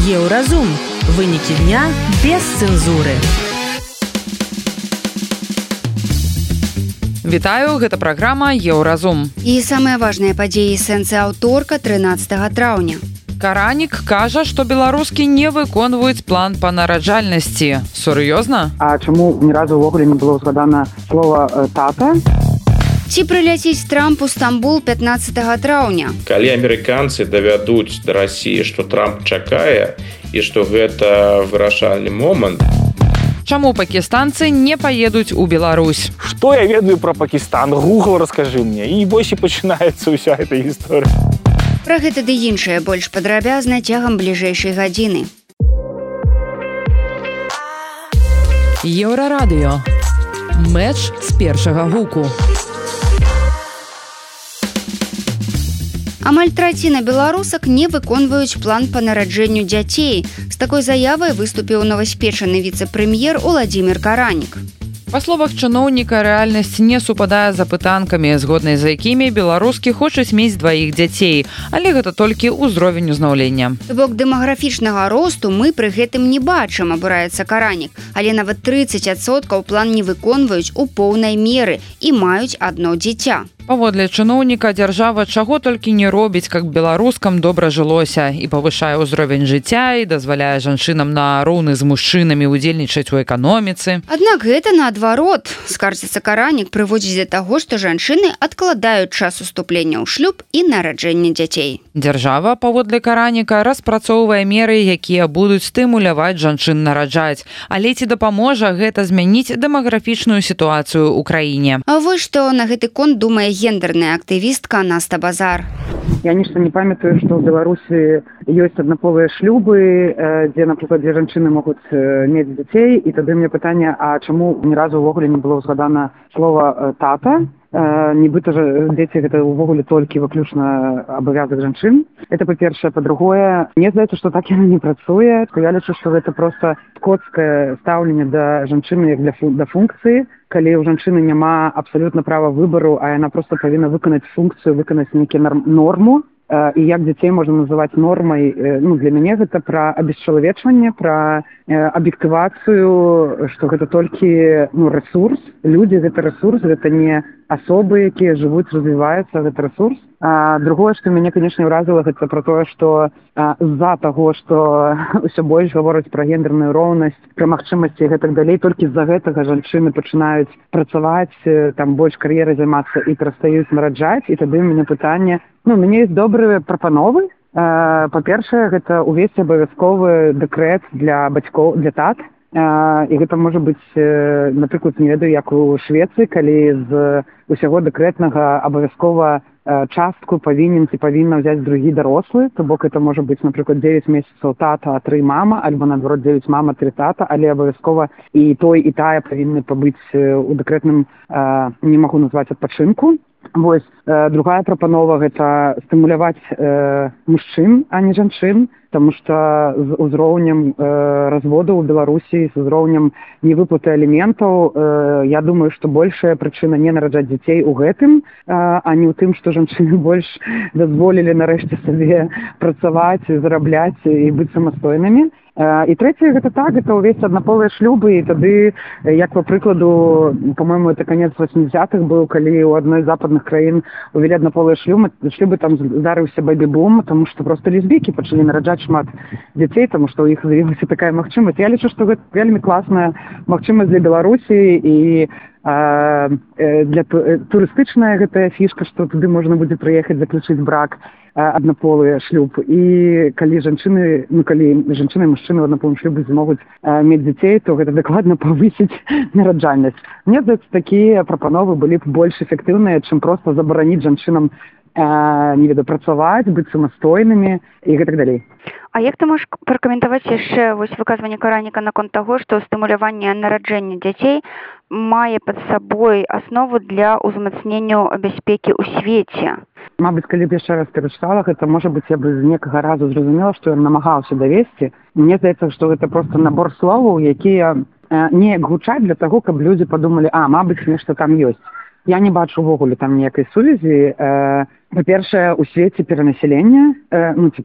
Еўразум. Вынікі дня без цэнзуры. Вітаю, гэта праграма Еўразум. І самыя важныя падзеі сэнсы аўторка 13 траўня. Каранік кажа, што беларускі не выконваюць план па нараджальнасці. Сур'ёзна? А чаму ні разу ўвогуле не было згадана слова «тата»? Ці прыляціць Трамп у Стамбул 15 траўня? Калі амерыканцы давядуць да Расіі, што Трамп чакае і што гэта вырашальны момант. Чаму пакістанцы не паедуць у Беларусь? Што я ведаю пра Пакістан? Гугл раскажы мне. І вось і пачынаецца ўся эта гісторыя. Пра гэта ды іншае больш падрабязна цягам бліжэйшай гадзіны. Еўрарадыё. Мэч з першага гуку. Амаль траціна беларусак не выконваюць план па нараджэнню дзяцей. З такой заявай выступіў новаспечаны віцэ-прэм'ер Уладзімір Каранік. Па словах чыноўніка, рэальнасць не супадае з апытанкамі, згоднай з якімі беларускі хочуць мець дваіх дзяцей, але гэта толькі ўзровень узнаўлення. То бок дэмаграфічнага росту мы пры гэтым не бачым, абураецца Каранік, але нават 30% план не выконваюць у поўнай меры і маюць адно дзіця. Паводле чыноўніка, дзяржава чаго толькі не робіць, каб беларускам добра жылося, і павышае ўзровень жыцця, і дазваляе жанчынам на роўны з мужчынамі ўдзельнічаць у эканоміцы. Аднак гэта наадварот. Скардзіцца Каранік прыводзіць да таго, што жанчыны адкладаюць час уступлення ў шлюб і нараджэння дзяцей. Дзяржава, паводле Караніка, распрацоўвае меры, якія будуць стымуляваць жанчын нараджаць. Але ці дапаможа гэта змяніць дэмаграфічную сітуацыю ў краіне? А вось што на гэты конт думае гендерная актывістка Наста Базар. Я нешта не памятаю, што ў Беларусі ёсць аднаполыя шлюбы, дзе, напрыклад, дзве жанчыны могуць мець дзяцей, і тады мне пытанне, а чаму ні разу ўвогуле не было згадана слова «тата»? Нібыта ж дзеці гэта ўвогуле толькі выключна абавязак жанчын. Это па-першае. Па-другое, мне здаецца, што так яно не працуе. Я лічу, што гэта проста скотскае стаўленне да жанчыны як да функцыі, калі ў жанчыны няма абсалютна права выбару, а яна проста павінна выканаць функцыю, выканаць нейкі норму. І як дзяцей можна называць нормай, для мяне гэта пра абесчалавечванне, пра аб'ектывацыю, што гэта толькі рэсурс. Людзі гэта рэсурс, гэта не асобы, якія жывуць, развіваюцца, гэта рэсурс. Другое, што мяне, канечне, ўразіла, гэта пра тое, што з-за таго, што ўсё больш гавораць пра гендерную роўнасць, пра магчымасці і гэтак далей, толькі з-за гэтага жанчыны пачынаюць працаваць, там больш кар'ерай займацца і перастаюць нараджаць. І тады ў мяне пытанне, у мяне ёсць добрыя прапановы. Па-першае, гэта увесці абавязковы дэкрэт для бацькоў, для тат. І гэта можа быць, напрыклад, не ведаю, як у Швецыі, калі з усяго дэкрэтнага абавязкова частку павінен ці павінна ўзяць другі дарослы, то бок это можа быць, напрыклад, 9 месяцаў тата, а 3 мама, альбо, наадварот, 9 мама, 3 тата, але абавязкова і той, і тая павінны пабыць у дэкрэтным, не магу назваць, адпачынку. Вось, другая прапанова – гэта стымуляваць мужчын, а не жанчын, таму што з узроўнем разводу ў Беларусі, з узроўнем невыплаты аліментаў, я думаю, што большая прычына не нараджаць дзяцей у гэтым, а не ў тым, што жанчыны больш дазволілі нарэшце сабе працаваць, зарабляць і быць самастойнымі. І трэцяе, гэта так, гэта ўвесь аднаполыя шлюбы, і тады, як па прыкладу, па-мойму, это канец 80-х быў, калі ў адной з западных краін увялі аднаполыя шлюбы, там здарыўся бэбі-бум, таму што проста лесбійкі пачалі нараджаць шмат дзяцей, таму што ў іх з'явілася такая магчымасць. Я лічу, што гэта вельмі класная магчымасць для Беларусі і для турыстычная гэтая фішка, што туды можна будзе прыехаць, заключыць брак, аднаполы шлюб. І калі жанчыны, калі жанчыны і мужчыны ў аднаполым шлюбе змогуць мець дзяцей, то гэта дакладна павысіць нараджальнасць. Мне здаецца, такія прапановы былі б больш эфектыўныя, чым проста забараніць жанчынам не ведаю, працаваць, быць самастойнымі і гэтак далей. А як ты можаш пракаментаваць яшчэ выказванне Караніка наконт таго, што стымуляванне нараджэння дзяцей мае пад сабой аснову для ўзмацнення бяспекі ў свеце? Мабыць, калі б яшчэ раз перачытала, гэта, можа быць, я бы з некага разу зразумела, што ён намагаўся давесці. Мне здаецца, што гэта проста набор словаў, якія неяк гучаць для таго, каб людзі падумалі, мабыць, нешта там ёсць. Я не бачу ўвогуле там ніякай сувязі па-першае, у свеце перанасялення,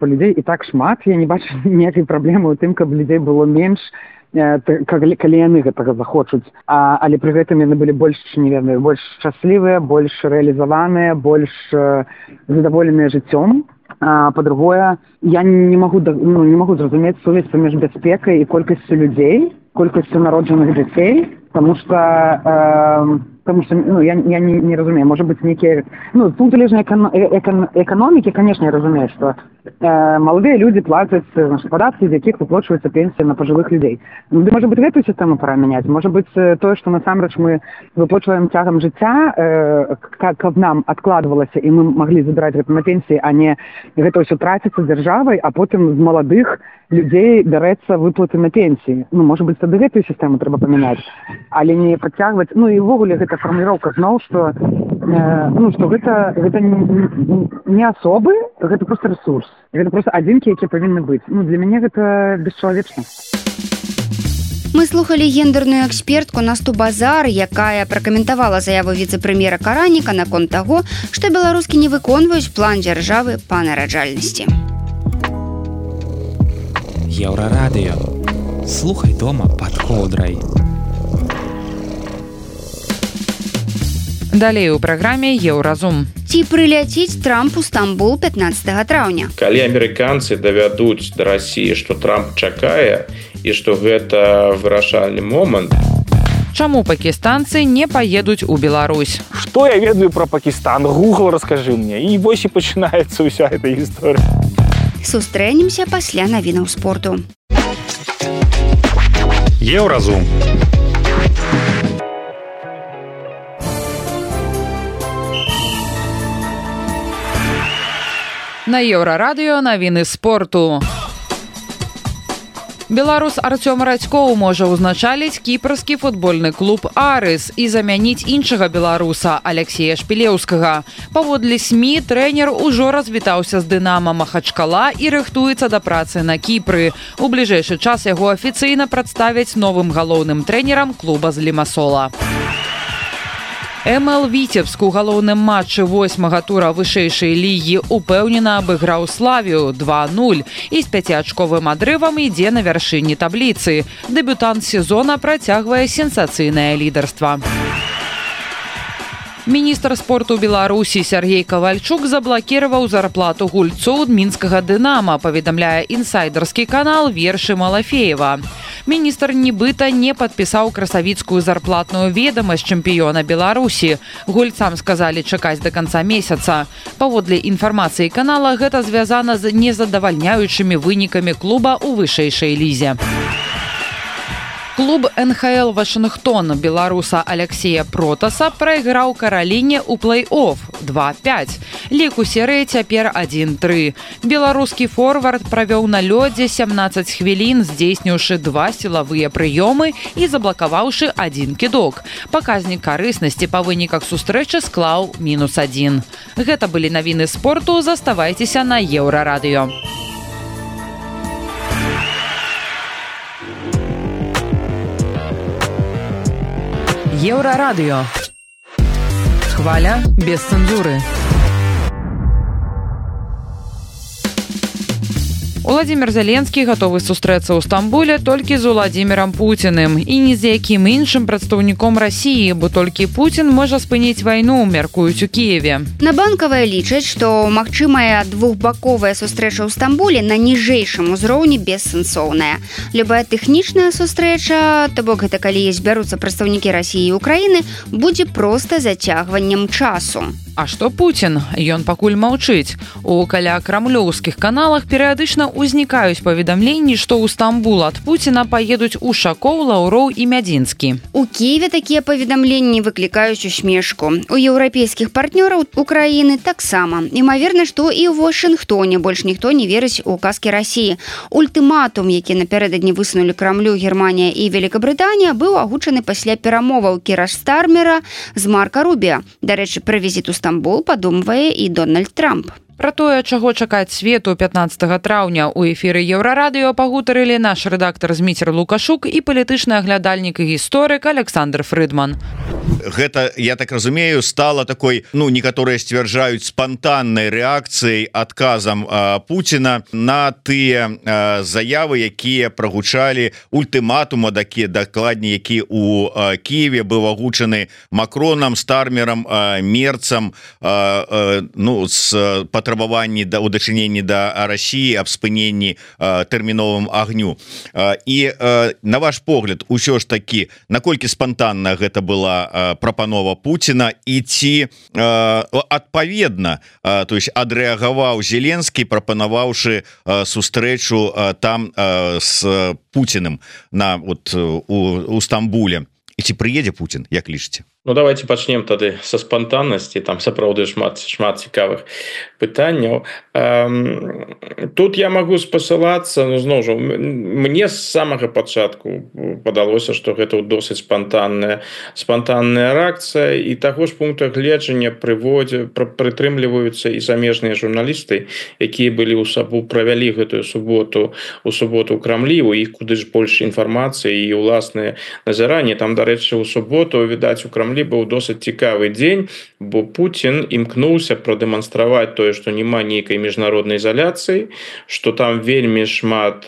людзей і так шмат, я не бачу ніякай праблемы ў тым, каб людзей было менш, калі яны гэтага захочуць, але пры гэтым яны былі больш шчаслівыя, больш рэалізаваныя, больш задаволеныя жыццём. Па-другое, я не могу зразумець сувязь паміж бяспекай і колькасцю людзей, колькасцю народжаных дзяцей, потому что я не разумею, может быть, некие... тут залежно экономики, конечно, я разумею, что молодые люди платят податки, из якіх выплачивается пенсия на пожилых людей. Может быть, эту систему пора менять. Может быть, то, что насамрэч мы выплачиваем тягом жыцця, как нам откладывалось, и мы могли забирать это на пенсии, а не это все тратится державой, а потом з молодых людей бярэцца выплаты на пенсии. Может быть, тады эту систему трэба поменять, але не подтягивать. И ввогуле гэта формулировка зноў, что гэта не особы, гэта просто ресурс. Гэта просто адзінкі, якія павінны быць. Для мяне гэта бесчалавечна. Мы слухали гендерную экспертку Насту Базар, якая пракаментавала заяву віцэ-прэм'ера Караніка наконт таго, што беларускі не выконваюць план дзяржавы па нараджальнасці. Еўрарадыё. Слухай дома пад коўдрай. Далей у праграме «Еўразум». Ці прыляціць Трамп у Стамбул 15 траўня? Калі амерыканцы давядуць да Расіі, што Трамп чакае і што гэта вырашальны момант. Чаму пакістанцы не паедуць у Беларусь? Што я ведаю пра Пакістан? Гугл раскажы мне. І вось і пачынаецца ўся эта гісторыя. Сустрэнемся пасля навінаў спорту. Еўразум. На Еўрарадыё навіны спорту. Беларус Артём Радзькоў можа ўзначаліць кіпрскі футбольны клуб «Арыс» і замяніць іншага беларуса Алексея Шпілеўскага. Паводле СМІ, трэнер ужо развітаўся з «Дынама» Махачкала і рыхтуецца да працы на Кіпры. У бліжэйшы час яго афіцыйна прадставяць новым галоўным трэнерам клуба з Лімасола. МЛ Віцебск у галоўным матчы 8-га тура вышэйшай лігі упэўнена абыграў Славію 2-0 і з 5-ачковым адрывам ідзе на вяршыні табліцы. Дэбютант сезона працягвае сенсацыйнае лідарства. Міністр спорту Беларусі Сергей Кавальчук заблакіраваў зарплату гульцоў мінскага «Дынама», паведамляе інсайдерскі канал Вершы Малафеева. Міністр нібыта не падпісаў красавіцкую зарплатную ведамасць чэмпіёна Беларусі. Гульцам сказалі чакаць да канца месяца. Паводле інфармацыі канала, гэта звязана з незадавальняючымі вынікамі клуба ў вышэйшай лізе. Клуб НХЛ «Вашингтон» беларуса Алексея Протаса прайграў Караліне ў плэй-офф 2-5. Лік у серыі цяпер 1-3. Беларускі форвард правёў на лёдзе 17 хвілін, здзейсніўшы 2 сілавыя прыёмы і заблакаваўшы 1 кідок. Паказнік карыснасці па выніках сустрэчы склаў -1. Гэта былі навіны спорту. Заставайцеся на Еўрарадыё. Еўрарадыё. Хваля без цэнзуры. Уладзімір Зеленскі гатовы сустрэцца ў Стамбуле толькі з Уладзімірам Пуціным і ні з якім іншым прадстаўніком Расіі, бо толькі Пуцін можа спыніць вайну, мяркуюць у Кіеве. На Банкавай лічаць, што магчымая двухбаковая сустрэча ў Стамбуле на ніжэйшым узроўні бессэнсоўная. Любая тэхнічная сустрэча, то бок гэта калі збяруцца прадстаўнікі Расіі і Украіны, будзе проста зацягваннем часу. А што Пуцін? Ён пакуль маўчыць. У калякрамлёўскіх каналах перыядычна ўзнікаюць паведамленні, што ў Стамбул ад Пуціна паедуць Ушакоў, Лаўроў і Мядзінскі. У Кіеве такія паведамленні выклікаюць усмешку. У еўрапейскіх партнёраў Украіны таксама. Імаверна, што і ў Вашынгтоне больш ніхто не верыць у казкі Расіі. Ультыматум, які напярэдадні высунулі Крамлю Германія і Великабрытанія, быў агучаны пасля перамоваў Кіра Стармера з Марка Рубіа. Дарэчы, пра візіт у Стамбул падумвае і Дональд Трамп. Пра тое, чаго чакаць свету 15 траўня ў эфіры Еўрарадыё пагутарылі наш рэдактар Зміцер Лукашук і палітычны аглядальнік і гісторык Александр Фрыдман. гэта, я так разумею, стала такой, ну, некаторыя сцвярджаюць спантаннай рэакцыяй, адказам Пуціна на тыя заявы, якія прагучалі, ультыматума дакладней, які у Киеве быў агучаны Макронам, Стармерам, Мерцам, ну, з патрабаванні у дачыненні да Расіі аб спыненні тэрміновым агню. І на ваш погляд, усё ж такі, наколькі спантанна гэта была прапанова Пуціна, і ці адпаведна, то есть адрэагаваў Зеленскі, прапанаваўшы сустрэчу там с Пуціным у Стамбуле, і ці прыедзе Путін, як лічыце? Ну, давайте пачнем тады са спантаннасці, там сапраўды шмат цікавых пытанняў. Тут я магу спасылацца, ну, зноў жа, мне з самага пачатку падалося, што гэта досыць спантанная рэакцыя, і таго ж пункта гледжання прытрымліваюцца і замежныя журналісты, якія былі правялі гэтую суботу ў Крамлі, у іх куды ж больш інфармацыі і ўласныя назіранні. Там, дарэчы, у суботу, відаць, у Крамлі быў досыць цікавы дзень, бо Пуцін імкнуўся прадэманстраваць тое, што няма нейкай міжнароднай изоляцыі, што там вельмі шмат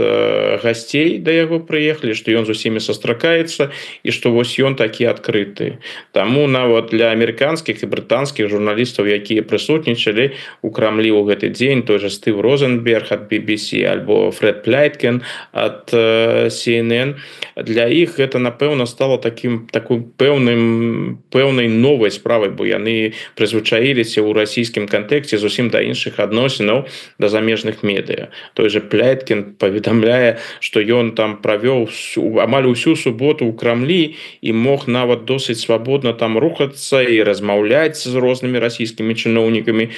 гасцей да яго прыехалі, што ён з усімі сустракаецца і што вось ён такі адкрыты. Таму нават для амерыканскіх і брытанскіх журналістаў, якія прысутнічалі у Крамлі ў гэты дзень, той же Стыв Розенберг ад BBC альбо Фред Пляйткен ад CNN, для іх гэта, напэўна, стала такой пэўнай новай справай, бо яны прызвычаіліся ў расійскім кантэксце зусім да іншых адносінаў да замежных медыа. Той же Пляйткен паведамляе, што ён там правёў амаль усю суботу ў Крамлі і мог нават досыць свабодна там рухацца і размаўляць з рознымі расійскімі чыноўнікамі.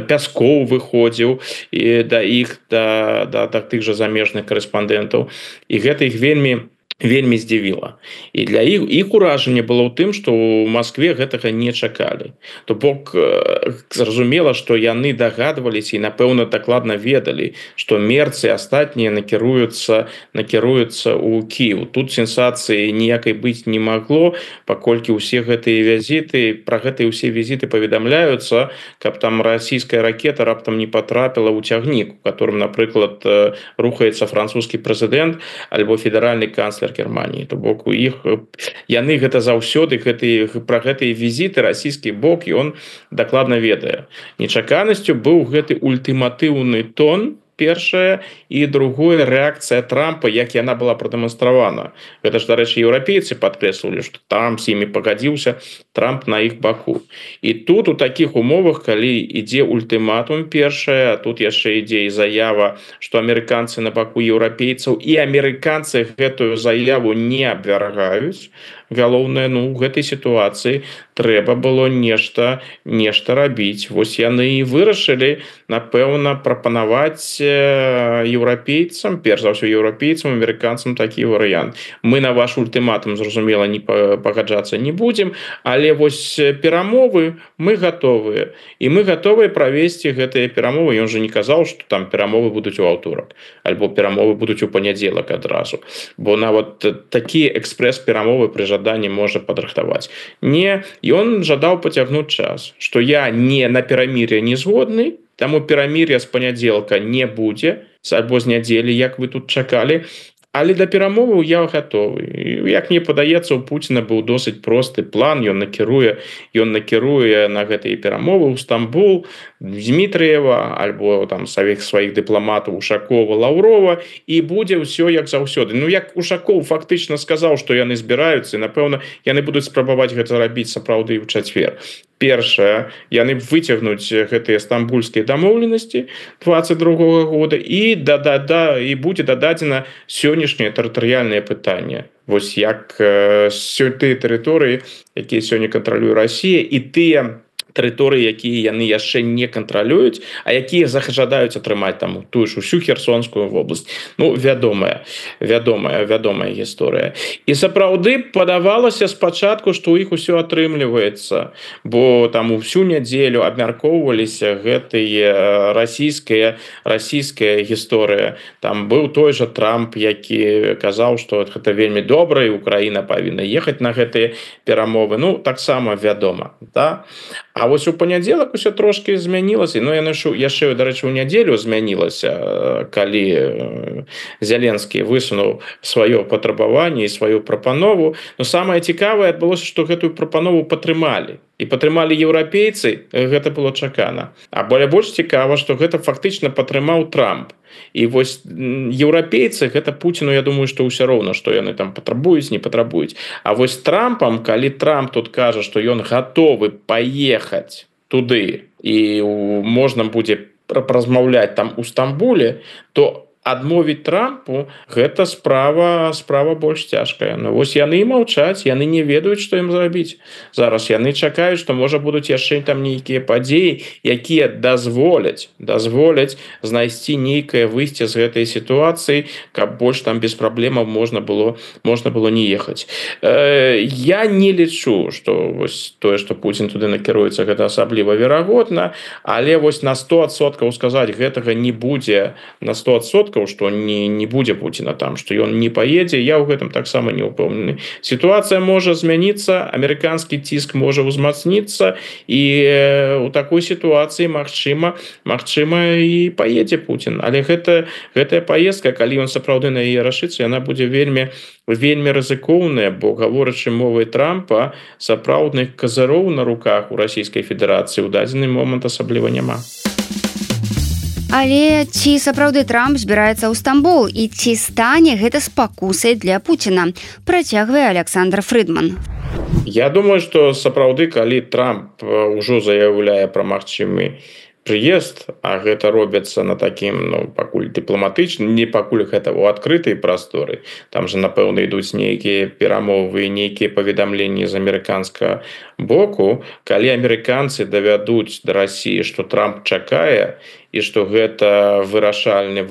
Пяскоў выходзіў да іх, да тых жа замежных карэспандэнтаў. І гэта іх вельмі здзівіла. І для іх уражанне было ў тым, што ў Маскве гэтага не чакалі. То бок, зразумела, што яны дагадваліся і, напэўна, дакладна ведалі, што Мерц і астатнія накіруюцца ў Кіев. Тут сенсацыі ніякай быць не магло, паколькі ўсе гэтыя візіты, пра гэтыя ўсе візіты паведамляюцца, каб там расійская ракета раптам не патрапіла ў цягнік, у которым, напрыклад, рухаецца французскі прэзідэнт альбо федэральны канцлер Германии. То бок у іх яны гэта заўсёды пра гэтыя візіты расійскі бок ён дакладна ведае. Нечаканасцю быў гэты ультыматыўны тон, першае, і другое, рэакцыя Трампа, як яна была прадэманстравана. Гэта ж, дарэчы, еўрапейцы падкрэслівалі, што Трамп з імі пагадзіўся, Трамп на іх баку. І тут у такіх умовах, калі ідзе ультыматум першае, а тут яшчэ ідзе і заява, што амерыканцы на баку еўрапейцаў, і амерыканцы гэтую заяву не абвяргаюць, галоўнае, ну, у гэтай сітуацыі трэба было нешта рабіць. Вось яны і вырашылі, напэўна, прапанаваць еўрапейцам, перш за ўсё еўрапейцам, амерыканцам такі варыянт. Мы на ваш ультыматум, зразумела, не пагаджацца не будзем, але вось перамовы мы гатовыя. І мы гатовыя правесці гэтыя перамовы. Ён жа не казаў, што там перамовы будуць у аўторак, альбо перамовы будуць у панядзелак адразу. Бо нават такія экспрэс-перамовы пры жаданні можа падрыхтаваць. Не, ён жадаў пацягнуць час, што я не на перамір'е не згодны, таму перамір'я з панядзелка не будзе, альбо з нядзелі, як вы тут чакалі, але да перамоваў я гатовы. Як мне падаецца, у Пуціна быў досыць просты план, ён накіруе на гэтыя перамовы ў Стамбул, Дмітрыева, альбо там сваіх дыпламатаў Ушакова, Лаўрова, і будзе ўсё як заўсёды. Ну, як Ушакоў фактычна сказаў, што яны збіраюцца, і, напэўна, яны будуць спрабаваць гэта рабіць сапраўды ў чацвер. Першае, яны выцягнуць гэтыя стамбульскія дамоўленасці 22-го года, і будзе дададзена сённяшняе тэрытарыяльнае пытанне. Вось як тыя тэрыторыі, якія сёння кантралюе Расія, і тыя тэрыторыі, якія яны яшчэ не кантралююць, а якія жадаюць атрымаць там тую ж усю Херсонскую вобласць. Ну, вядомая гісторыя. І сапраўды падавалася спачатку, што ў іх усё атрымліваецца, бо там усю нядзелю абмяркоўваліся гэтыя расійская гісторыя. Там быў той жа Трамп, які казаў, што гэта вельмі добра, і Украіна павінна ехаць на гэтыя перамовы. Ну, таксама вядома, да? А вось у панядзелак усё трошкі змянілася. Ну, яшчэ, дарэчы, у нядзелю змянілася, калі Зеленскі высунуў сваё патрабаванне і сваю прапанову. Но самае цікавае адбылося, што гэтую прапанову падтрымалі. І падтрымалі еўрапейцы, гэта было чакана. А больш цікава, што гэта фактычна падтрымаў Трамп. І вось еўрапейцы, гэта Пуціну, я думаю, што ўсё роўна, што яны там патрабуюць, не патрабуюць. А вось Трампам, калі Трамп тут кажа, што ён гатовы паехаць туды і можна будзе размаўляць там у Стамбуле, то адмовіць Трампу гэта справа больш цяжкая. Ну вось яны і маўчаць, яны не ведаюць, што ім зрабіць. Зараз яны чакаюць, што можа будуць яшчэ там нейкія падзеі, якія дазволяць знайсці нейкае выйсце з гэтай сітуацыі, каб больш там без праблемаў можна было не ехаць. Я не лічу, што вось тое, што Пуцін туды накіруецца, гэта асабліва верагодна, але вось на 100% сказаць гэтага не будзе на 100%, што не будзе Пуціна там, што ён не паедзе, я ў гэтым таксама не ўпэўнены. Сітуацыя можа змяніцца, амерыканскі ціск можа ўзмацніцца, і ў такой сітуацыі магчыма і паедзе Пуцін. Але гэтая паездка, калі ён сапраўды на яе рашыцца, яна будзе вельмі рызыкоўная, бо гаворачы мовай Трампа, сапраўдных казароў на руках у Расійскай Федэрацыі ў дадзены момант асабліва няма. Але ці сапраўды Трамп збіраецца ў Стамбул і ці стане гэта спакусай для Пуціна? Працягвае Александр Фрыдман. Я думаю, што сапраўды, калі Трамп ўжо заяўляе пра магчымы прыезд, а гэта робіцца на такім, пакуль дыпламатычным, не пакуль гэта ў адкрытай прасторы. Там жа, напэўна, ідуць нейкія перамовы, нейкія паведамленні з амерыканскага боку. Калі амерыканцы давядуць да Расіі, што Трамп чакае, і што гэта вырашальны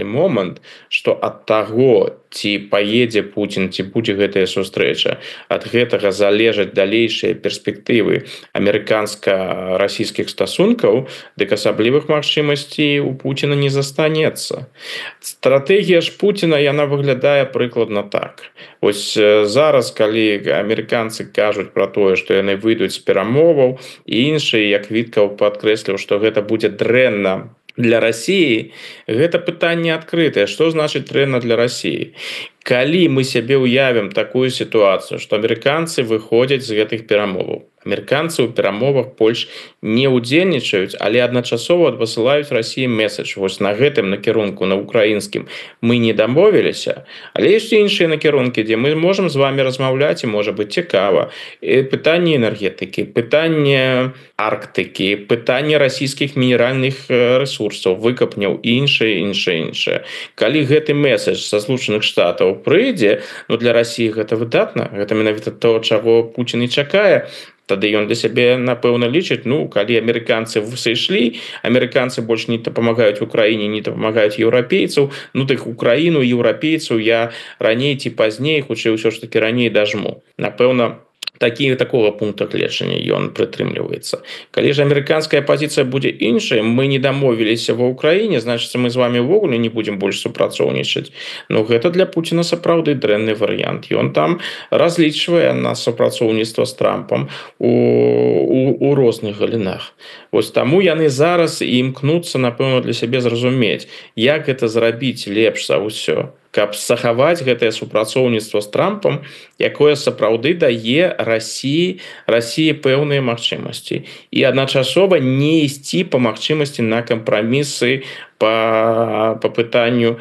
момант, што ад таго, ці паедзе Пуцін, ці будзе гэтая сустрэча, ад гэтага залежаць далейшыя перспектывы амерыканска-расійскіх стасункаў, дык асаблівых магчымасцей у Пуціна не застанецца. Стратэгія ж Пуціна, яна выглядае прыкладна так. Вось зараз, калі амерыканцы кажуць пра тое, што яны выйдуць з перамоваў, і іншыя, як Віткаў падкрэсліў, што гэта будзе дрэнна для Расіі, гэта пытанне адкрытае. Што значыць дрэнна для Расіі? Калі мы сябе ўявім такую сітуацыю, што амерыканцы выходзяць з гэтых перамоваў, амерыканцы ў перамовах больш не ўдзельнічаюць, але адначасова адпасылаюць Расіі месседж. Вось на гэтым накірунку, на украінскім, мы не дамовіліся, але ёсць іншыя накірункі, дзе мы можам з вами размаўляць, і можа быць цікава. Пытанне энергетыкі, пытанне Арктыкі, пытанне расійскіх мінеральных рэсурсаў, выкапняў і іншае. Калі гэты месседж са Злучаных Штатаў прыйдзе, для Расіі гэта выдатна, гэта менавіта то, чаго Пуцін і чакае. Тады ён для сябе, напэўна, лічыць, калі амерыканцы сышлі, амерыканцы больш не дапамагаюць Украіне, не дапамагаюць еўрапейцаў, дык Украіну, еўрапейцаў я раней ці пазней, хутчэй ўсё ж такі раней дажму. Напэўна, такого пункта гледжання ён прытрымліваецца. Калі ж амерыканская пазіцыя будзе іншая, мы не дамовіліся ва Ўкраіне, значыць, мы з вами ўвогуле не будзем больш супрацоўнічаць. Гэта для Пуціна сапраўды дрэнны варыянт. Ён там разлічвае на супрацоўніцтва з Трампам у розных галінах. Вось таму яны зараз і імкнуцца, напэўна, для сябе зразумець, як гэта зрабіць лепш за ўсё, каб захаваць гэтае супрацоўніцтва з Трампам, якое сапраўды дае Расіі пэўныя магчымасці. І адначасова не ісці па магчымасці на кампрамісы по пытанню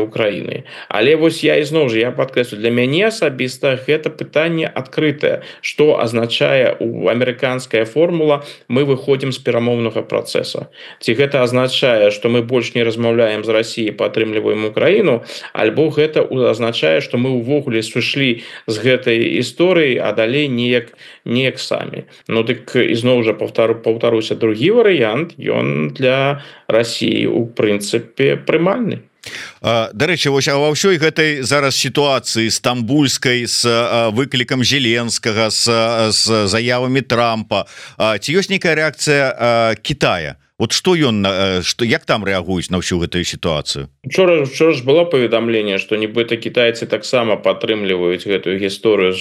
Украины. Але вось я ізноў жа я падкрэслю, для мяне асабіста гэта пытанне адкрытае, што азначае у амерыканская формула мы выходзім з перамоўнага працэса. Ці гэта азначае, што мы больш не размаўляем з Расіяй, падтрымліваем Украіну, альбо гэта азначае, што мы ўвогуле сышлі з гэтай історыі, а далей неяк самі. Ну дык ізноў жа паўтаруся, другі варыянт, ён для Расіі у прынцыпе прымальны. Дарэчы, вось ва ўсёй гэтай зараз сітуацыі стамбульскай з выклікам Зеленскага, з заявамі Трампа, ці ёсць нейкая рэакцыя Китая? Вот што ён, як там рэагуюць на ўсю гэтую сітуацыю? Учора ж было паведамленне, што нібыта кітайцы таксама падтрымліваюць гэтую гісторыю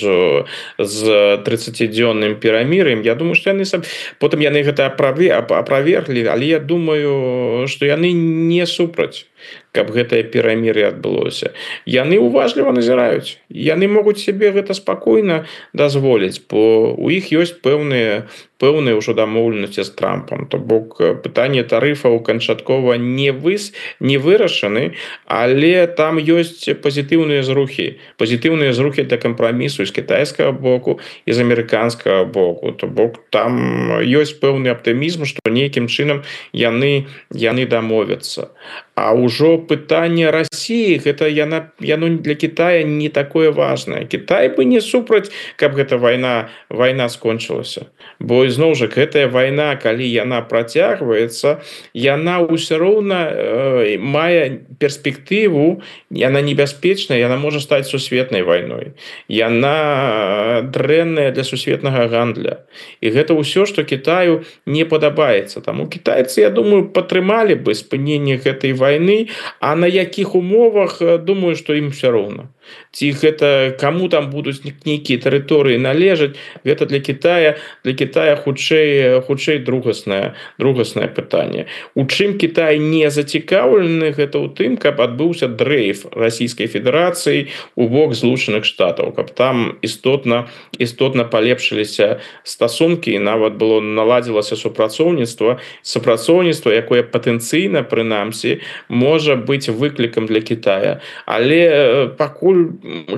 з 30-дзённым перамір'ем. Я думаю, што яны потым яны гэта аправерглі, але я думаю, што яны не супраць, каб гэтае перамір'е адбылося. Яны уважліва назіраюць. Яны могуць себе гэта спакойна дазволіць, бо у іх ёсць пэўныя ўжо дамоўленасці з Трампам. То бок пытанне тарыфаў канчаткова не вырашаны, але там ёсць пазітыўныя зрухі для кампрамісу з кітайскага боку і з амерыканскага боку. То бок там ёсць пэўны аптымізм, што нейкім чынам яны дамовяцца. А ўжо пытанне Расіі, гэта яно для Китая не такое важнае. Китай бы не супраць, каб гэта вайна скончылася. Бо ізноў жа гэтая вайна, калі яна працягваецца, яна ўсё роўна мае перспектыву, яна небяспечная, яна можа стаць сусветнай вайной. Яна дрэнная для сусветнага гандля. І гэта ўсё, што Китаю не падабаецца. Таму кітайцы, я думаю, падтрымалі бы спыненне гэтай вайны, а на якіх умовах, думаю, што ім все роўна. Ці гэта каму там будуць нейкія тэрыторыі належаць, гэта для Китая хутчэй другаснае пытанне. У чым Китай не зацікаўлены, гэта ў тым, каб адбыўся дрейф Расійскай Федэрацыі у бок Злучаных Штатаў, каб там істотна палепшыліся стасункі і нават было наладзілася супрацоўніцтва, якое патэнцыйна, прынамсі, можа быць выклікам для Китая. Але пакуль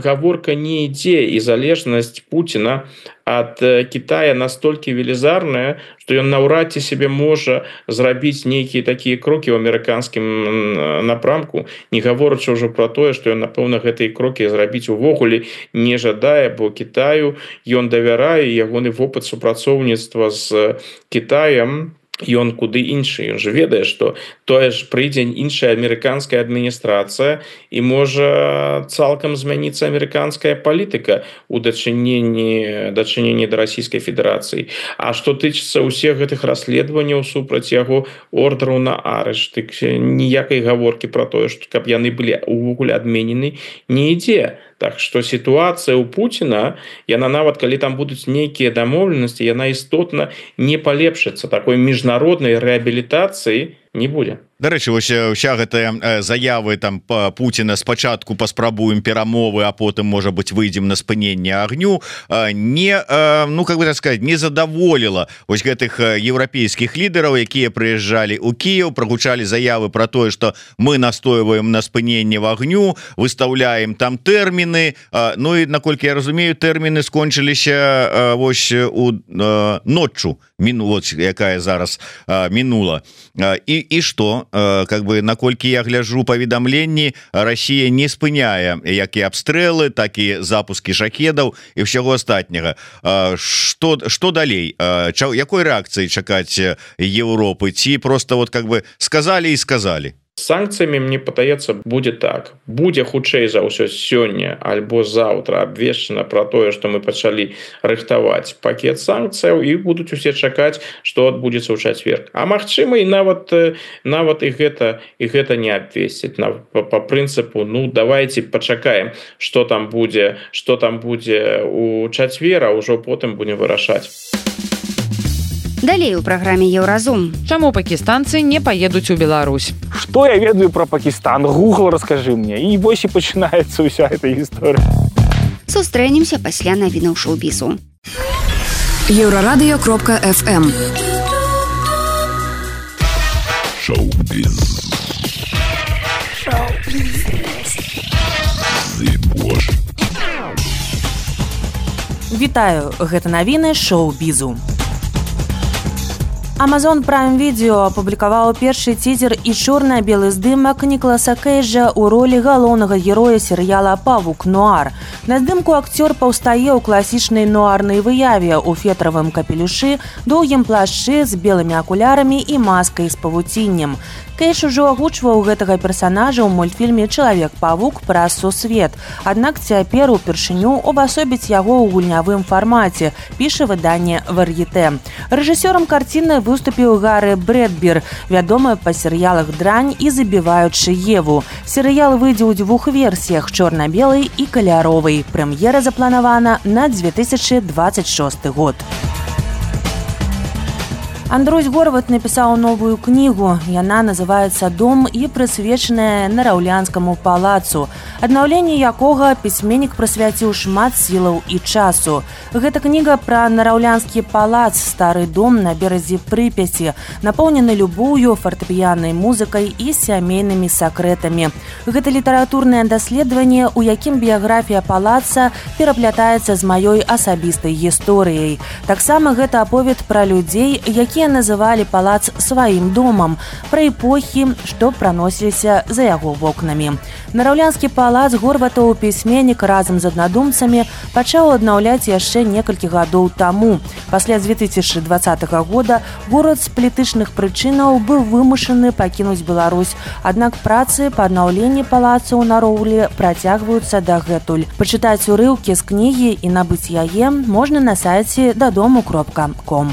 гаворка не ідзе, і залежнасць Пуціна ад Китая настолькі велізарная, што ён наўрад ці себе можа зрабіць нейкія такія крокі ў амерыканскім напрамку, не гаворачы ўжо пра тое, што ён, напэўна, гэтыя крокі зрабіць увогуле не жадае, бо Китаю ён давярае, ягоны вопыт супрацоўніцтва з Китаем, ён куды іншы. Ён же ведае, што тое ж прыйдзе іншая амерыканская адміністрацыя і можа цалкам змяніцца амерыканская палітыка ў дачыненні да Расійскай Федэрацыі. А што тычыцца ўсіх гэтых расследаванняў супраць яго ордеру на арышт, ніякай гаворкі пра тое, што каб яны былі увогуле адменены, не ідзе. Так што сітуацыя ў Пуціна, яна нават калі там будуць нейкія дамоўленасці, яна істотна не палепшыцца. Такой міжнароднай рэабілітацыі не будзе. Дарэчы, вось уся гэтая заявы там Пуціна спачатку паспрабуем перамовы, а потым, можа быць, выйдзем на спыненне агню, не, ну, как бы так сказать, не задаволіла вось гэтых еўрапейскіх лідараў, якія прыязджалі ў Кіеў, прагучалі заявы пра тое, што мы настойваем на спыненне агню, выстаўляем там тэрміны, ну і, наколькі я разумею, тэрміны скончыліся вось у ноччу, якая зараз мінула. І што? Как бы, наколькі я гляжу паведамленні, Расія не спыняе як і абстрэлы, так і запускі шахедаў і ўсяго астатняга. Што далей? Якой рэакцыі чакаць Еўропы? Ці просто вот как бы сказалі і сказалі? Санкцыямі, мне падаецца, будзе так. Будзе хутчэй за ўсё сёння альбо заўтра абвешчана пра тое, што мы пачалі рыхтаваць пакет санкцыяў, і будуць усе чакаць, што адбудзецца ў чацвер. А магчыма, і нават і гэта не абвесціць. Па прынцыпу, ну, давайте пачакаем, што там будзе у чацвер, а ўжо потым будзем вырашаць. Далей у праграме Еўразум. Чаму пакістанцы не паедуць у Беларусь? Што я ведаю пра Пакістан? Google раскажы мне. І вось і пачынаецца ўся эта гісторыя. Сустрэнемся пасля навінаў шоу-бізу. Еўрарадыё.фм Шоу-біз. Вітаю, гэта навіны шоу-бізу. Amazon Prime Video апублікаваў першы цізер і чорна-белы здымак Нікаласа Кейджа ў ролі галоўнага героя серыяла «Павук Нуар». На здымку акцёр паўстае ў класічнай нуарнай выяве ў фетравым капелюшы, доўгім плашчы з белымі акулярамі і маскай з павуціннем. Кейдж ужо агучваў гэтага персанажа ў мультфільме «Чалавек-павук праз сусвет», аднак цяпер упершыню увасобіць яго ў гульнявым фармаце, піша выданне «Вар'етэ». Рэжысёрам карціны выступіў Гары Брэдбер, вядомы па серыялах «Дрань» і «Забіваючы Еву». Серыял выйдзе ў двух версіях – чорна-белай і каляровай. Прэм'ера запланавана на 2026 год. Андрусь Горват напісаў новую кнігу. Яна называецца «Дом» і прысвечаная Нараўлянскаму палацу, аднаўленне якога пісьменнік прысвяціў шмат сілаў і часу. Гэта кніга пра Нараўлянскі палац, стары дом на беразе Прыпяці, напоўнены любоўю, фартэпіяннай музыкай і сямейнымі сакрэтамі. Гэта літаратурнае даследаванне, у якім біяграфія палаца пераплятаецца з маёй асабістай гісторыяй. Таксама гэта аповед пра людзей, якія называлі палац сваім домам, пра эпохі, што праносіліся за яго вокнамі. Нараўлянскі палац Горватаў пісьменнік разам з аднадумцамі пачаў аднаўляць яшчэ некалькі гадоў таму. Пасля 2020 года горад з палітычных прычынаў быў вымушаны пакінуць Беларусь, аднак працы па аднаўленні палаца ў Нароўлі працягваюцца дагэтуль. Пачытаць урыўкі з кнігі і набыць яе можна на сайце dadomu.com.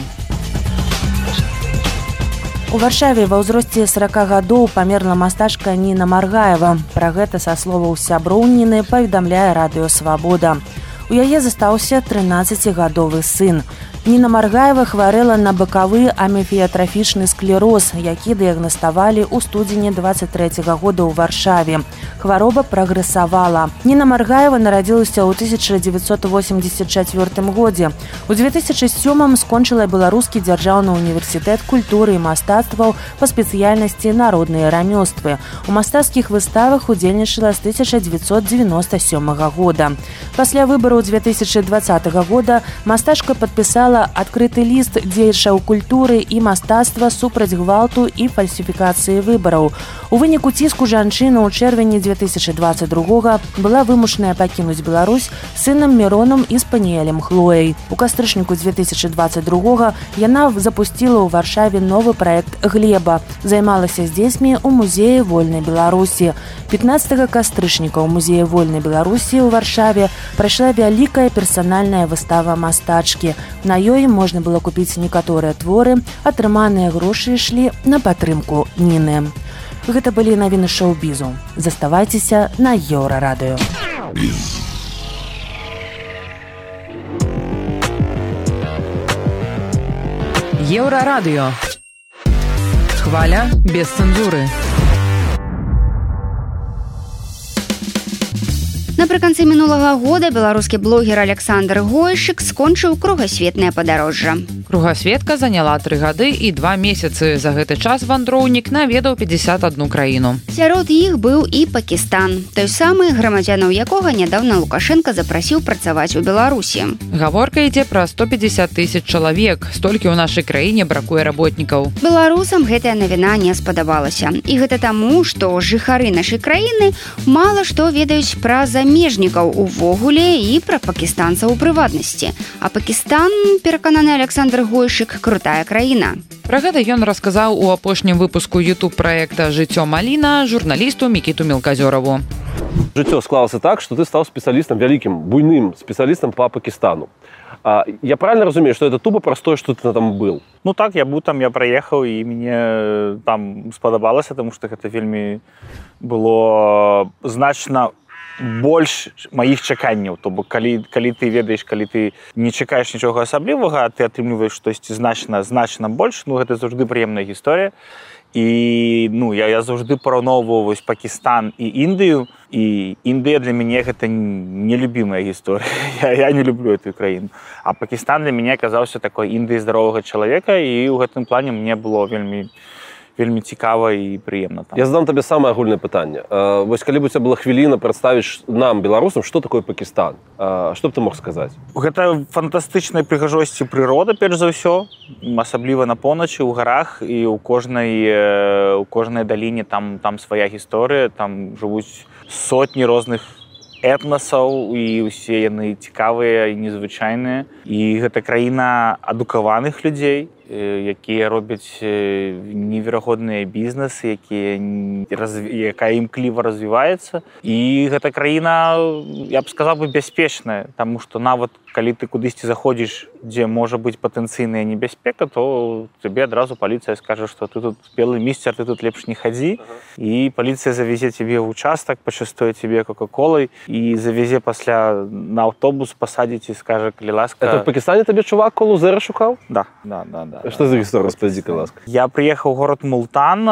У Варшаве ва ўзросце 40 гадоў памерла мастачка Ніна Маргаева. Пра гэта са словаў сяброў Ніны паведамляе радыё «Свабода». У яе застаўся 13-гадовы сын. Ніна Маргаева хварэла на бакавы аміфіятрафічны склероз, які дыягнаставалі ў студзені 23 года ў Варшаве. Хвароба прагрэсавала. Ніна Маргаева нарадзілася ў 1984 годзе. У 2007 скончыла Беларускі дзяржаўны універсітэт культуры і мастацтваў па спецыяльнасці народныя рамёствы. У мастацкіх выставах удзельнічала з 1997 года. Пасля выбараў 2020 года мастачка падпісала адкрыты ліст дзеячаў культуры і мастацтва супраць гвалту і фальсіфікацыі выбараў. У выніку ціску жанчына ў чэрвені 2022 была вымушаная пакінуць Беларусь сынам Міронам і спаніэлем Хлояй. У кастрычніку 2022 яна запусціла ў Варшаве новы праект «Глеба». Займалася з дзецьмі ў музеі Вольнай Беларусі. 15 кастрычніка ў музеі Вольнай Беларусі ў Варшаве прайшла вялікая персанальная выстава мастачкі. На ёй можна было купіць некаторыя творы, атрыманыя грошы ішлі на падтрымку Ніны. Гэта былі навіны шоу-бізу. Заставайцеся на Еўрарадыё. Еўрарадыё. Хваля без цэнзуры. Напрыканцы мінулага года беларускі блогер Александр Гойшык скончыў кругасветнае падарожжа. Кругасветка заняла 3 гады і 2 месяцы. За гэты час вандроўнік наведаў 51 краіну. Сярод іх быў і Пакістан, той самы, грамадзянаў якога нядаўна Лукашенко запрасіў працаваць у Беларусі. Гаворка ідзе пра 150 000 чалавек. Столькі ў нашай краіне бракуе работнікаў. Беларусам гэтая навіна не спадабалася. І гэта таму, што жыхары нашай краіны мала што ведаюць пра замежнікаў увогуле і пра пакістанцаў у прыватнасці. А Пакістан, перакананы Александр Гойшык, крутая краіна. Пра гэта ён расказаў у апошнім выпуску YouTube-праекта «Жыццё Маліна» журналісту Мікіту Мелказёраву. Жыццё склалася так, што ты стаў спецыялістам, вялікім, буйным спецыялістам па Пакістану. Я правильно разумею, што это тупо простое, што ты там был? Ну так, я быў там, я праехаў, і мне там спадабалася, таму што гэта вельмі было значна больш маіх чаканняў. То бок, калі ты ведаеш, калі ты не чакаеш нічога асаблівага, а ты атрымліваеш штосьці значна больш, ну гэта заўжды прыемная гісторыя. І я заўжды параўноўваю Пакістан і Індыю, і Індыя для мяне гэта нелюбімая гісторыя. Я не люблю эту краіну. А Пакістан для мяне аказаўся такой Індыяй здаровага чалавека, і ў гэтым плане мне было вельмі вельмі цікава і прыемна. Я задам табе самае агульнае пытанне. Вось калі б у цябе была хвіліна прадставіць нам, беларусам, што такое Пакістан? Што б ты мог сказаць? Гэта фантастычнай прыгажосці прырода, перш за ўсё, асабліва на поўначы, у гарах, і ў кожнай даліне там свая гісторыя, там жывуць сотні розных этнасаў, і ўсе яны цікавыя і незвычайныя. І гэта краіна адукаваных людзей, якія робяць неверагодныя бізнесы, якая імкліва развіваецца. І гэта краіна, я б сказаў бы, бяспечная, таму што нават калі ты кудысьці заходзіш, дзе можа быць патэнцыйная небяспека, то тебе адразу паліцыя скажа, што ты тут белы місцер, ты тут лепш не хадзі. І паліцыя завязе цябе ў участак, пачастуе цябе кока-колай і завязе пасля на аўтобус, пасадзіць і скажа, калі ласка... Это в Пакістане табе чувак колу зэра шукаў? Да. Што за гісторыя, распавядзі, калі ласка? Я прыехаў у горад Мултан,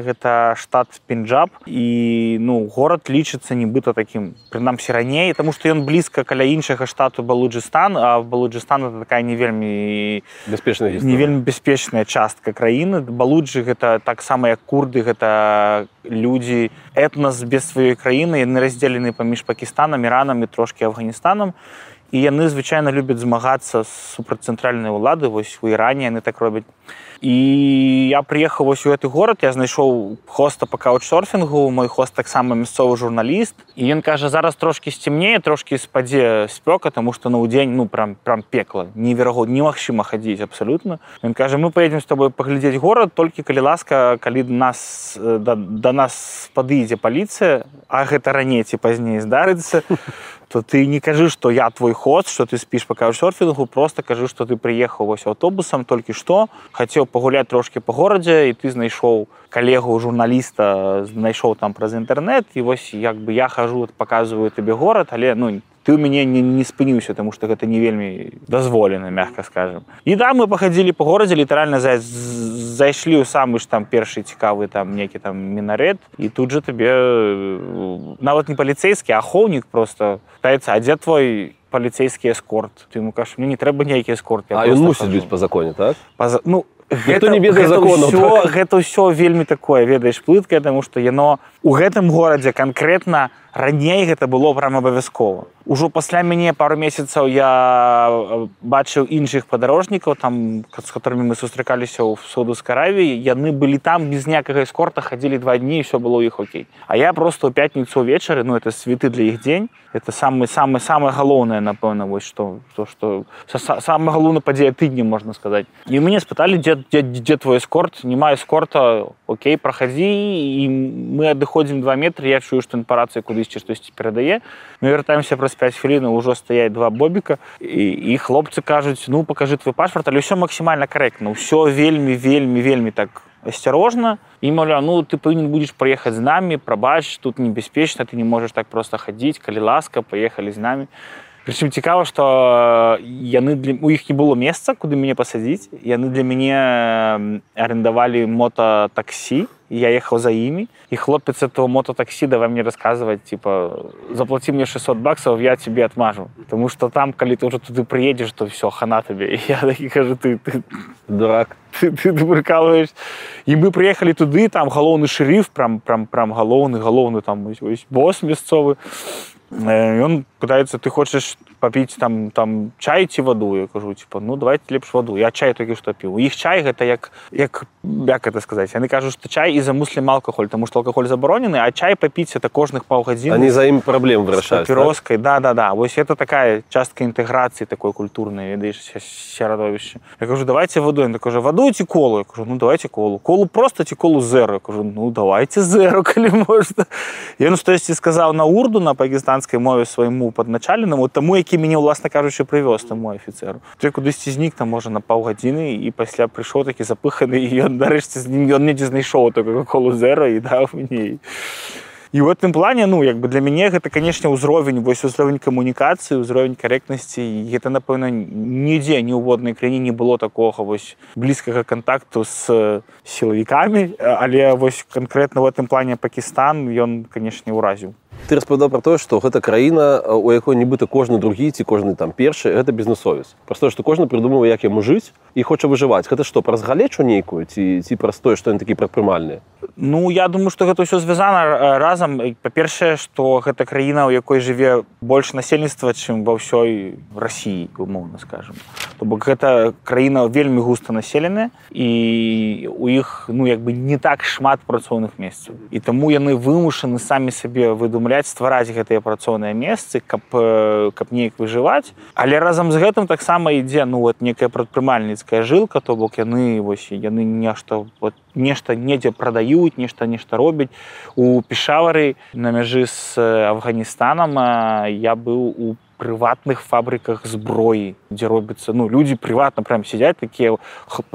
гэта штат Пенджаб, і горад лічыцца нібыта такім, прынамсі раней, таму што ён блізка каля іншага штату Балуджыстан, а Балуджыстан это такая не вельмі бяспечная частка краіны. Балуджы гэта таксама як курды, гэта людзі, этнас без сваёй краіны, яны раздзелены паміж Пакістанам, Іранам і трошкі Афганістанам. І яны звычайна любяць змагацца супраць цэнтральнай улады, вось у Іране яны так робяць. І я прыехаў вось у гэты горад, я знайшоў хоста па каучсерфінгу, мой хост таксама мясцовы журналіст. І ён кажа, зараз трошкі сцемнее, трошкі спадзе спёка, таму што на ўдзень, прям пекла, неверагодна, немагчыма хадзіць абсалютна. Ён кажа, мы паедзем з тобой паглядзець горад, толькі калі ласка, калі да нас падыдзе паліцыя, а гэта раней ці пазней здарыцца, то ты не кажы, што я твой хост, што ты спіш па каучсерфінгу, просто кажы, што ты прыехаў вось аўтобусам толькі што, хацеў пагуляць трошкі па горадзе, і ты знайшоў калегу журналіста, знайшоў там праз інтэрнэт, і вось як бы я хожу, паказваю табе горад, але ты ў мяне не спыніўся, таму што гэта не вельмі дазволена, мягка скажем. І да, мы пахадзілі па горадзе, літаральна зайшлі ў самы ж там першы цікавы там некі там мінарэт, і тут жа табе нават не паліцейскі, а ахоўнік просто пытаецца, а дзе твой паліцейскі эскорт? Ты ему кажаш, мне не трэба ніякі эскорт. А ён мусіць быць па законе, так? Гэта ўсё вельмі такое, ведаеш, плыткае, таму што яно у гэтым горадзе канкрэтна раней гэта было прям абавязкова. Ужо пасля мяне пару месяцаў я бачыў іншых падарожнікаў, там, з которымі мы сустракаліся ў Саудаўскай Аравіі, яны былі там без ніякага эскорта, хадзілі 2 дні, і ўсё было ў іх окей. А я просто ў пятніцу ўвечары, это святы для іх дзень, это самае галоўнае, напэўна, вось што самая галоўная падзея тыдня, можна сказаць. І мяне спыталі, дзе твой эскорт? Няма эскорта, окей, прахадзі, і мы адыходзім 2 метры, я чую, што па рацыі кудысьці штосьці перадае. Мы вяртаемся праз 5 хвілін, ужо стаяць 2 бобіка, і хлопцы кажуць, пакажы твой пашпарт, але ўсё максімальна карэктна, ўсё вельмі так асцярожна. І, маўляў, ты павінен будзеш прыехаць з намі, прабач, тут небяспечна, ты не можаш так проста хадзіць, калі ласка, паехалі з намі. Прычым цікава, што у іх не было месца, куды мяне пасадзіць. Яны для мяне арендавалі мотатаксі, я ехаў за імі, і хлопец этого мотатаксі давай мне расказваць, заплаці мне $600, я тебе отмажу. Таму што там, калі ты ўжо туды прыедзеш, то ўсё, хана табе. І я такі кажу, ты дурак, ты прыкалываеш. І мы прыехалі туды, там галоўны шэрыф, прям галоўны там босс мясцовы. Ён пытаецца, ты хочаш папіць там чай ці ваду? Я кажу, давайте лепш ваду. Я чай толькі што піў. У іх чай гэта як гэта сказаць? Яны кажуць, што чай і-за муслім алкаголь, таму што алкаголь забаронены, а чай папіць это кожных паўгадзіны. Они за ім праблем вырашаюць, так? Папіроскай, да. Вось это такая частка інтэграцыі такой культурнай, ведаеш, сярадовішча. Я кажу, давайте ваду. Ён кажа, ваду ці колу? Я кажу, давайте колу. Колу просто ці колу зеро? Я кажу, давайте зеро, калі можна. Ён штосьці сказаў на урду, на пакістанскай мове свайму падначаленаму, таму, які мяне, уласна кажучы, прывёз таму афіцэру. Той кудысьці знік там, можа, на паўгадзіны, і пасля прыйшоў такі запыханы, і ён, нарэшце, ён недзе знайшоў такую колу зеро і даў мне. І ў гэтым плане, для мяне гэта, канешне, ўзровень камунікацыі, ўзровень карэктнасці, і гэта, напэўна, нідзе, ні ў воднай краіне не было такога блізкага кантакту з сілавікамі, але канкрэтна ў гэтым плане Пакістан, ён, канешне, ўразіў. ты распавядаў про тое, што гэта краіна, у якой нібыта кожны другі ці кожны там першы, гэта бізнесовец. Праз тое, што кожны прыдумвае, як яму жыць і хоча выжываць. Гэта што, праз галечу нейкую ці праз тое, што яны такі прадпрымальныя? Ну, я думаю, што гэта ўсё звязана разам. Па-першае, што гэта краіна, у якой жыве больш насельніцтва, чым ва ўсёй Расіі, умоўна скажам. То бок гэта краіна вельмі густа населеная, і у іх, ну, як бы не так шмат працоўных месцаў. І таму яны вымушаны самі сабе выдумляць, ствараць гэтыя працоўныя месцы, каб неяк выжываць. Але разам з гэтым таксама ідзе, ну, вот некая прадпрымальніцкая жылка, то бок яны нешта недзе прадаюць, нешта робяць. У Пешавары на мяжы з Афганістанам я быў у прыватных фабрыках зброі, дзе робіцца, ну, людзі прыватна прям сядзяць, такія,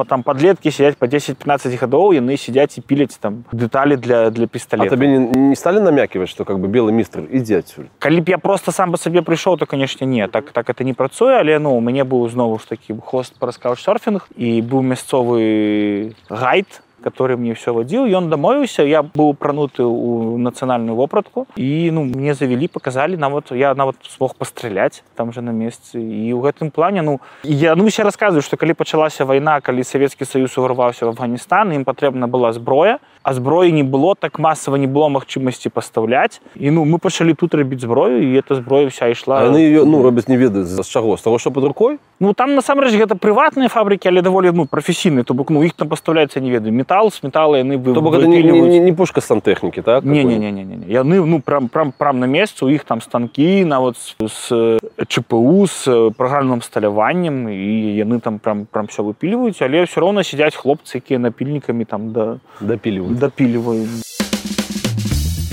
там падлеткі сядзяць па 10-15 гадоў, яны сядзяць і піляць там дэталі для пісталета. А табе не сталі намяківаць, што как бы белы містр ідзе адсюль? Калі б я просто сам па сабе прыйшоў, то, канешне, не, так это не працуе, але, ну, у мяне быў знову ж такі хост праз каучсерфінг, і быў мясцовы гайд, который мне все водил, ён дамовіўся, я быў прануты ў нацыянальную вопратку, і, ну, мне завялі, показалі, я нават смог пастраляць там же на месцы, і ў гэтым плане, ну, я все рассказываю, што калі пачалася вайна, калі Савецкі Саюз уварваўся в Афганістан, ім патрэбна была зброя, а зброі не было, так масава не было магчымасці пастаўляць, і, ну, мы пачалі тут рабіць зброю, і эта зброя вся ішла. А яны ее, ну, робяць не ведаюць з чаго, з таго, што пад рукой? Ну, там, насамрэч, гэта прыватныя фабрыкі, але даволі, ну, прафесійныя, то бок, ну, іх там пастаўляецца, не ведаю, метал, з метала яны выпіліваюць. То бок, гэта не пушка сантэхнікі, так? Не. Яны, ну, прям на месцы, у іх там станкі, нават з ЧПУ, з праграмным сталяваннем, і яны там прям все выпіліваюць, але ўсё роўна сядзяць хлопцы, якія напільнікамі там дапіліваюць.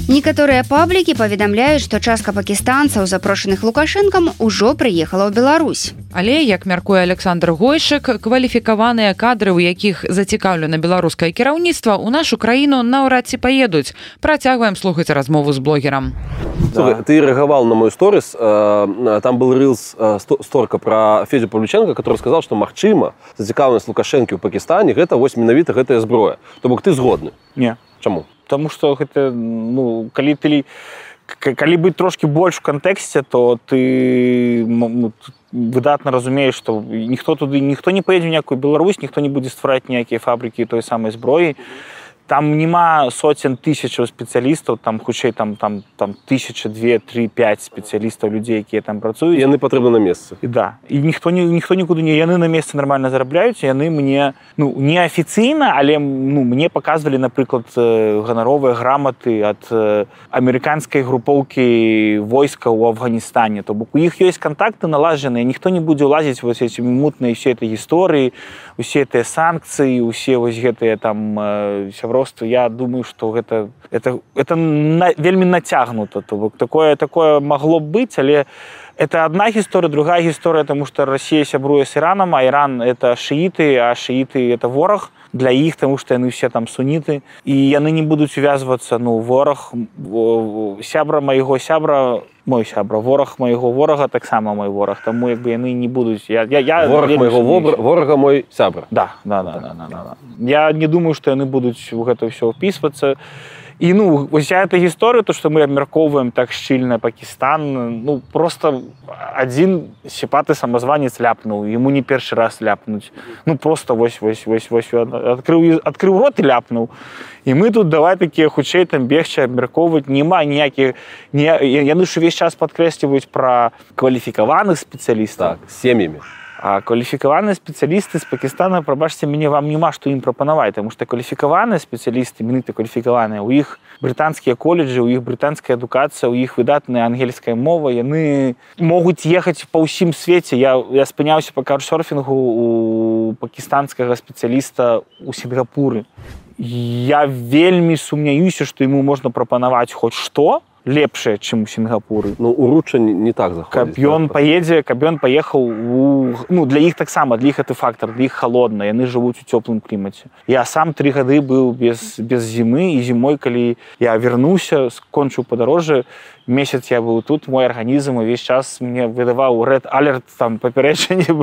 Некаторыя паблікі паведамляюць, што частка пакістанцаў, запрошаных Лукашэнкам, ужо прыехала ў Беларусь. Але, як мяркуе Александр Гойшык, кваліфікаваныя кадры, у якіх зацікаўлена беларускае кіраўніцтва, у нашу краіну наўрад ці паедуць. Працягваем слухаць размову з блогерам. Слухай, ты рэагаваў на мой сторис, там был рилс сторка про Федю Павлюченко, который сказал, что магчыма зацікаўленасць Лукашэнкі ў Пакістане гэта вось менавіта гэтая зброя. То бок ты згодны? Не. Чаму? Потому что гэта, ну, калі быць трошки больш в кантэксце, то ты, ну, выдатна разумееш, што ніхто не поедзе ў някую Беларусь, ніхто не будзе ствараць ніякія фабрыкі той самай зброі. Там нема сотен тысячаў спецыялістаў, там хутчэй там 1000, 2, 3, 5 спецыялістаў, людзей, якія там працуюць. Яны патрэбны на месцы. І да. І ніхто нікуды не, яны на месцы нармальна зарабляюць, яны мне, ну, не афіцыйна, але, ну, мне паказвалі, напрыклад, ганаровыя граматы ад амерыканскай групоўкі войска ў Афганістане. То бок у іх ёсць контакты налажаныя, ніхто не будзе ўлазіць вось эти мутныя ўсе этой гісторыі, усе гэтыя санкцыі, усе вось гэтыя там сяброўства. Я думаю, што гэта вельмі нацягнута. То бок такое магло б быць, але это одна гісторыя, другая гісторыя, тому што Расія сябруе з Іранам, а Іран это шыіты, а шыіты это вораг для іх, тому што яны все там суніты, і яны не будуць увязвацца, ну, вораг сябра майго сябра, мой сябра, вораг майго ворага таксама мой вораг, таму як бы яны не будуць. Вораг майго ворага мой сябра. Да. Я не думаю, што яны будуць у гэта ўсё ўпісвацца. І, ну, вся эта гісторыя, то, што мы абмяркоўваем так шчыльна Пакістан, ну, просто адзін сіпаты самазванец ляпнуў, яму не першы раз ляпнуць. Ну, просто вось, адкрыў рот і ляпнуў. І мы тут давай такія хутчэй там бегчы, абмяркоўваць, няма ніякіх... Яны ж увесь час падкрэсліваюць пра кваліфікаваных спецыялістаў. Так, з сем'ямі. А кваліфікаваныя спецыялісты з Пакістана, прабачце мяне, вам няма што ім прапанаваць, таму што кваліфікаваныя спецыялісты, менавіта кваліфікаваныя, у іх брытанскія каледжы, у іх брытанская адукацыя, у іх выдатная ангельская мова, яны могуць ехаць па ўсім свеце. Я спыняўся па каучсерфінгу у пакістанскага спецыяліста ў Сінгапуры. Я вельмі сумняюся, што яму можна прапанаваць хоць што, лепшае, чым у Сінгапуры. Ну, уруча не так заходзіць. Каб ён паехаў ну, для іх таксама, для іх гэты фактор, для іх халодна, яны жывуць у цёплым клімаце. Я сам 3 гады быў без зімы, і зімой, калі я вярнуўся, скончыў падарожжа, месяц я быў тут, мой арганізм увесь час мне выдаваў red alert, там, папярэджанне,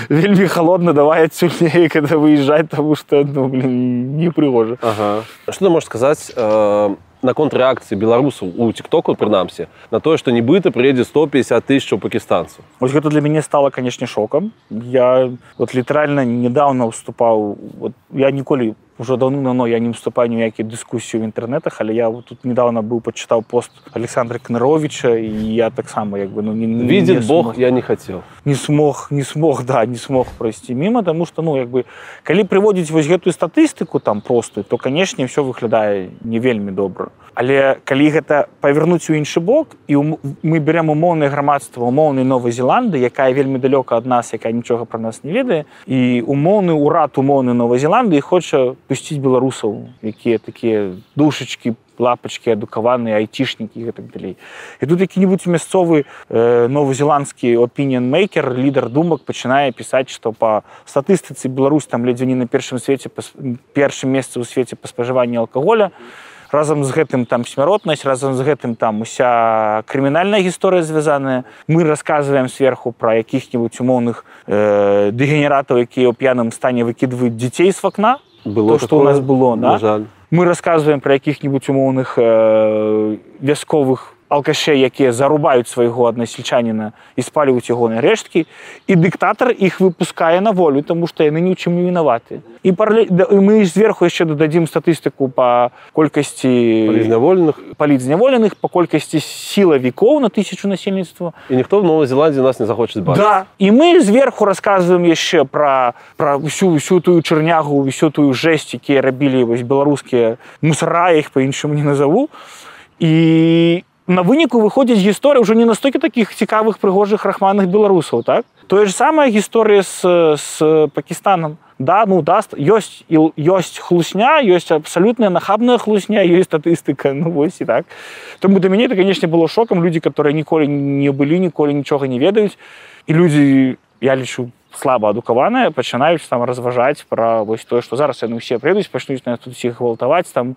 вельмі халодна, давай адсюль некада выязджаць, таму што, ну, непрыгожа. Ага. Што ты можаш сказаць наконт рэакцыі беларусаў у тиктоку прынамсі на тое, што нібыта прыедзе 150 тысяч пакістанцаў. Вось гэта для мяне стала, канешне, шокам. Я вот літаральна недавно ўступаў, я ніколі уже давно я не вступаю ні ў якія дыскусіі ў інтэрнетах, але я тут недавно быў пачытаў пост Александра Кныровича, і я таксама видит Бог, я не хацеў. Не смог пройсці міма, таму што калі прыводзіць вось гэтую статыстыку там простую, то канешне ўсё выглядае не вельмі добра. Але калі гэта павярнуць у іншы бок, і мы берем умоўнае грамадства умоўнай Новай Зеландыі, якая вельмі далёка ад нас, якая нічога пра нас не ведае, і умоўны ўрад умоўнай Новай Зеландыі хоча пусціць беларусаў, якія такія душачкі, лапачкі, адукаваныя, айцішнікі і гэтак далей. І тут які-небудзь мясцовы новазеландскі opinion-maker, лідар думак пачынае пісаць, што па статыстыцы Беларусь там ледзьве не на першым месцы ў свеце па спажыванні алкаголя. Разам з гэтым там смяротнасць, разам з гэтым там уся крымінальная гісторыя звязаная. Мы расказваем сверху пра якіх-небудзь умоўных дэгенератаў, якія ў п'яным стане выкідваюць дзяцей з вакна. То, што ў нас было, да? Мы расказваем пра якіх-небудзь умоўных вясковых алкашей, якія зарубаюць свайго аднасельчаніна і спаліваюць ягоныя рэшткі, і дыктатар іх выпускае на волю, таму што яны ні ў чым не вінаваты. І мы зверху яшчэ дададзім статыстыку па колькасці палітзняволеных, па колькасці сілавікоў на 1000 насельніцтва. І ніхто в Новай Зеландыі нас не захоча бачыць. Да. І мы зверху расказваем яшчэ пра всю тую чарнягу, всю тую жэсць, якія рабілі беларускія мусара, я іх па-іншаму не назаву. І на выніку выходзіць гісторыя ўжо не настолькі такіх цікавых, прыгожых, рахманых беларусаў, так? Тое ж самая гісторыя з Пакістанам. Да, ёсць хлусня, ёсць абсалютная нахабная хлусня, ёсць статыстыка, вось і так. Тому для мяне это, канешне, было шокам. Людзі, которые ніколі не былі, ніколі нічога не ведаюць, і людзі, я лічу, слаба адукаваныя, пачынаюць там разважаць пра вось тое, што зараз яны ўсе прыедуць, пачнуць нас тут усіх гвалтаваць, там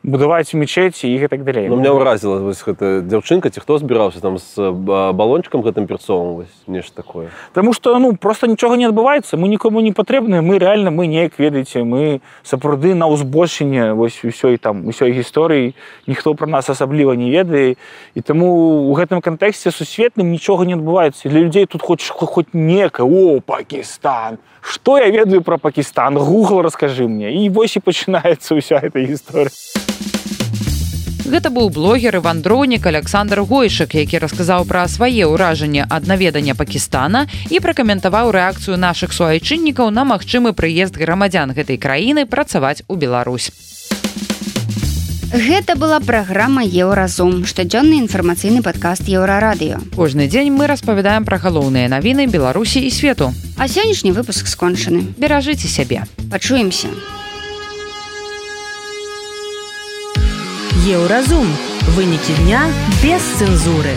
будаваць мечеці і гэтак далей. Меня ўразіла вось гэта дзяўчынка, ці хто збіраўся там з балончыкам гэтым перцовым, вось нешта такое. Таму што просто нічога не адбываецца, мы нікому не патрэбныя, мы неяк, ведаеце, мы сапраўды на ўзбольшанне вось усёй гісторыі, ніхто пра нас асабліва не ведае, і таму ў гэтым кантэксце сусветным нічога не адбываецца. Для людзей тут хоць некае, Пакістан, што я ведаю пра Пакістан, Google раскажы мне, і вось і пачынаецца ўся эта гісторыя. Гэта быў блогер і вандроўнік Александр Гойшык, які расказаў пра свае ўражанні ад наведання Пакістана і пракаментаваў рэакцыю нашых суайчыннікаў на магчымы прыезд грамадзян гэтай краіны працаваць у Беларусь. Гэта была праграма Еўразум, штодзённы інфармацыйны падкаст Еўрарадыё. Кожны дзень мы распавядаем пра галоўныя навіны Беларусі і свету. А сённяшні выпуск скончаны. Беражыце сябе. Пачуемся. Еўразум. Вынікі дня без цэнзуры.